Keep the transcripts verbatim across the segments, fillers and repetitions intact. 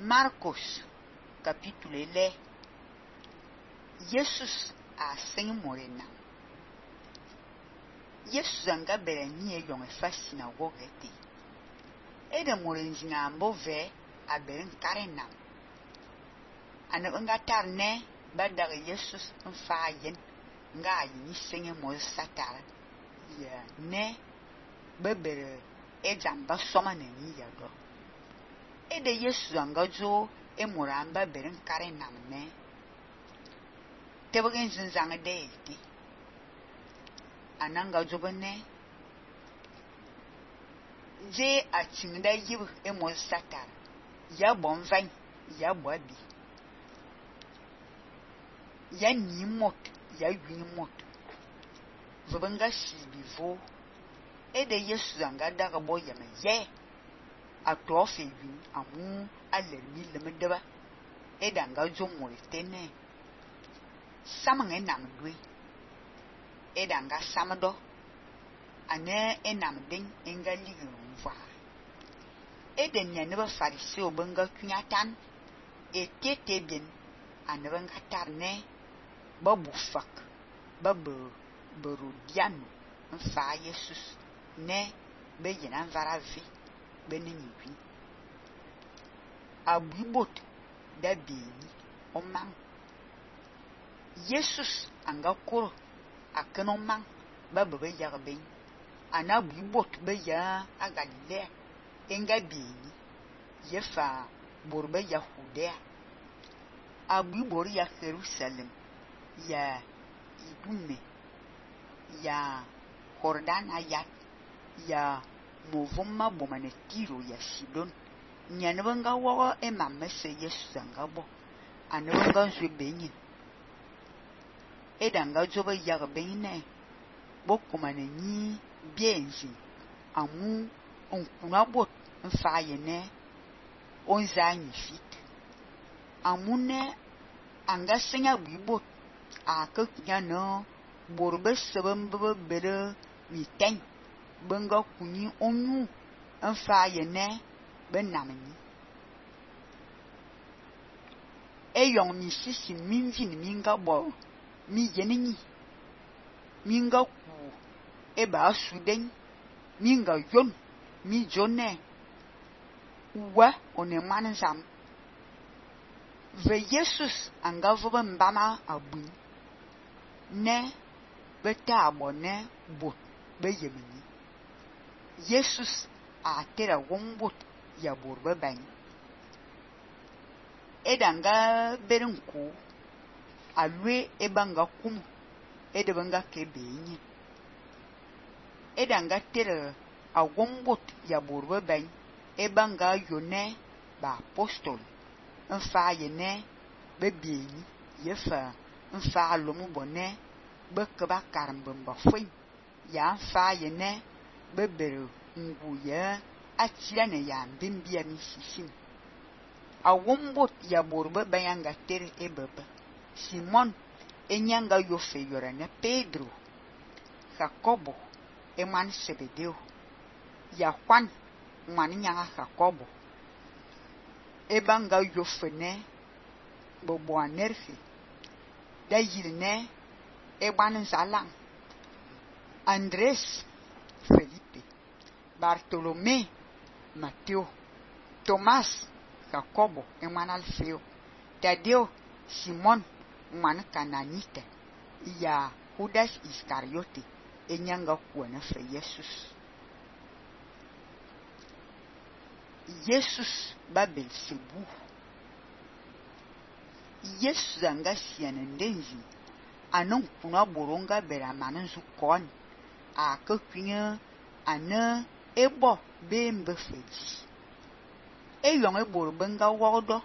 Marcos, capítulo le. Jesus a sem morena. Jesus anga bere ni e yon e fa sinagogue te. E de morenzinga ambo ve a bere nkarena. Ana nga tar ne ba daga Jesus nfa yen nga yi senye mo satara. Ya ne bebere e jamba soma ne ni ya do. E de Jesus anga jo e moramba bere nkarena ne. Tebegen zinzanga de eti. Ananga jobane je a chingda yib e mo satara. Ya bon vain, ya boabi. Ya ni mot, ya yin mot. Vobanga si bivo. E de Yesu anga daga boya me ye. A tofe yin amu alermi lemedeba. E danga jo mo etene. Samang enam dwe. E danga samado. Ane enam ding enga ligi mwa. E de nyaneba fariseo benga kunyatan. E tete bien. Ane benga tarne. Babu fak. Babu berodiano. Nfa Jesus. Ne be yenan varavi. Be nini. Abibot da bini. Omang. Jesus anga kuro akenon mang ba bebe yarben ana bibot be ya agalilea enga bini yefa borbe yahudia abibor ya Jerusalem ya idume ya Jordan ayat ya movoma bomane tiro ya Sidon nyanebanga wo e mamese Jesus anga bo anebanga zwe benyi edanga joba yaga bene bokumane ni bienzi amu onkuna bot mfaye ne onza ni fit amune anga senya bibot aka nyano borbe sebembe bere miten benga kuni onyu mfaye ne benamni eyong mi sisi minvin minga bo mi yenini minga ku eba suden minga yon mi jone wa one manzam ve Jesus anga voba mbama abun ne beta abone bot be yemini Jesus a tera wombot ya borbe ban edanga berenku alwe ebanga kum edebanga kebenyi edanga tere awombot ya borbe ben ebanga yone ba apostol nfa yene bebenyi yefa nfa lomu bone bekeba karambamba foi ya nfa yene bebere nguye atira ne ya mbimbia misisim awombot ya borbe ben anga tere ebebe Simon enyanga yofe yorane Pedro Jacobo eman Sebedeo ya Juan man nyanga Jacobo ebanga yofe ne bobo anerfe da yirne eban zalang Andres Felipe Bartolomé Mateo Tomás Jacobo eman Alfeo Tadeo Simon man Cananita ya Judas Iscariote enyanga kuona fe Jesus Jesus babel sebu Jesus anga siana ndenzi anon kuna boronga bera mananzu kon a kokunya ana ebo bembe feji e yon e bor benga wodo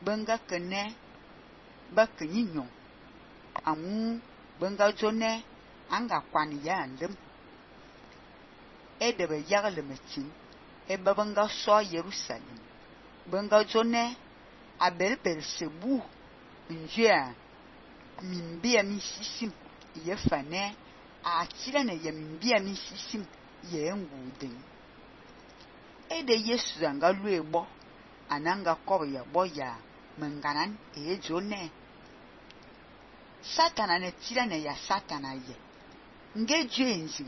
benga kene ba kenyinyo amu benga jone anga kwani ya ndem e de be yagle metin e babanga so Jerusalem benga jone a belbel sebu njia mimbia misisim ye fane a tira ne ye mimbia misisim ye nguden e de Yesu anga luego ananga kobe ya boya menganan e jone Satana ne tira ne ya Satana ye nge juenzi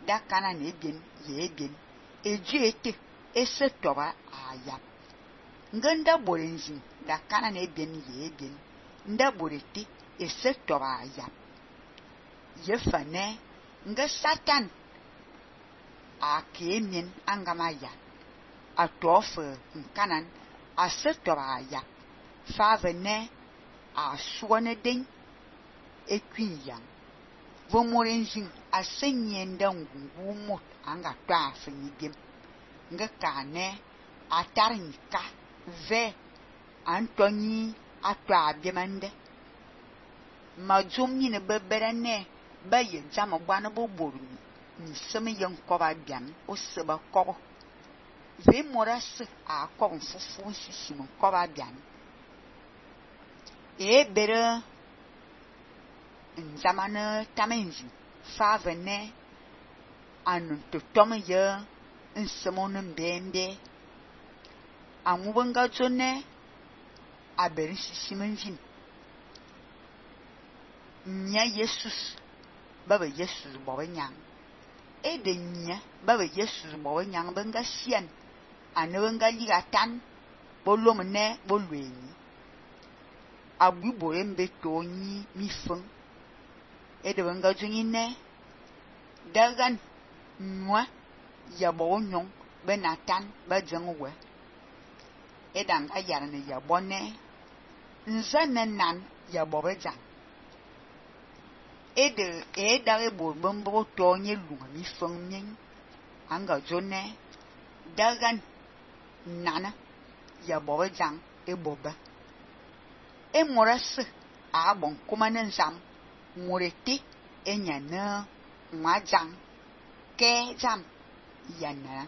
da kana ne bien ye bien e juete ese toba ayap ngenda borenzi da kana ne bien ye bien nda borete ese toba ayap ye fane nge Satan a kemin angamaya a tofe nkanan a se toba ayap fa ne a suwane den ekwin yang vomorenjin asenye ndangu mot anga twa fanyi biem nga kane atarnika ve antonyi atwa biemande majum ni ne beberane baye jama bwana bo boru ni semi yen koba biam o seba kobo ve moras a kobo fufu sisimu koba biam e bere nzamane tamenzi favene anu to tome ye nsemonu mbembe amubenga jone aberi sisimenvin nya Jesus baba Jesus bobe nyang e de nya baba Jesus bobe nyang benga sian anebenga ligatan bolomne bolweni agbu boembe tonyi mifeng e de benga jungine dagan nwa ya bo nyong benatan ba jengwe e danga yarne ya bonne nzanenan ya bobe jang e de e dare bo bombo tonye lunga mi fengmen anga jone dagan nana ya bobe jang e boba e moras a bon kumanen zam moreti enyana majang ke jam yana